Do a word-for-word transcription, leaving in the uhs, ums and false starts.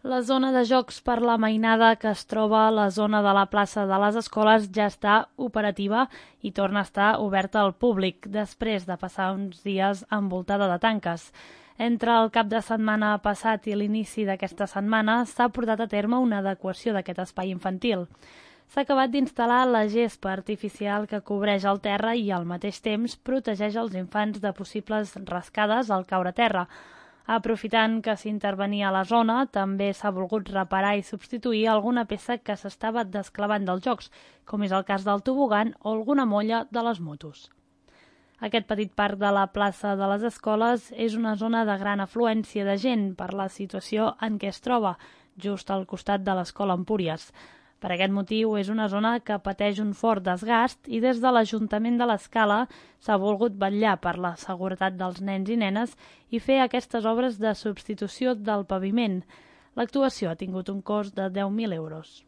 La zona de jocs per la mainada que es troba a la zona de la plaça de les Escoles ja està operativa i torna a estar oberta al públic, després de passar uns dies envoltada de tanques. Entre el cap de setmana passat i l'inici d'aquesta setmana s'ha portat a terme una adequació d'aquest espai infantil. S'ha acabat d'instal·lar la gespa artificial que cobreix el terra i al mateix temps protegeix els infants de possibles rascades al caure a terra. Aprofitant que s'intervenia a la zona, també s'ha volgut reparar i substituir alguna peça que s'estava desclavant dels jocs, com és el cas del tobogan o alguna molla de les motos. Aquest petit parc de la plaça de les Escoles és una zona de gran afluència de gent per la situació en què es troba, just al costat de l'Escola Empúries. Per aquest motiu, és una zona que pateix un fort desgast i des de l'Ajuntament de l'Escala s'ha volgut vetllar per la seguretat dels nens i nenes i fer aquestes obres de substitució del paviment. L'actuació ha tingut un cost de deu mil euros.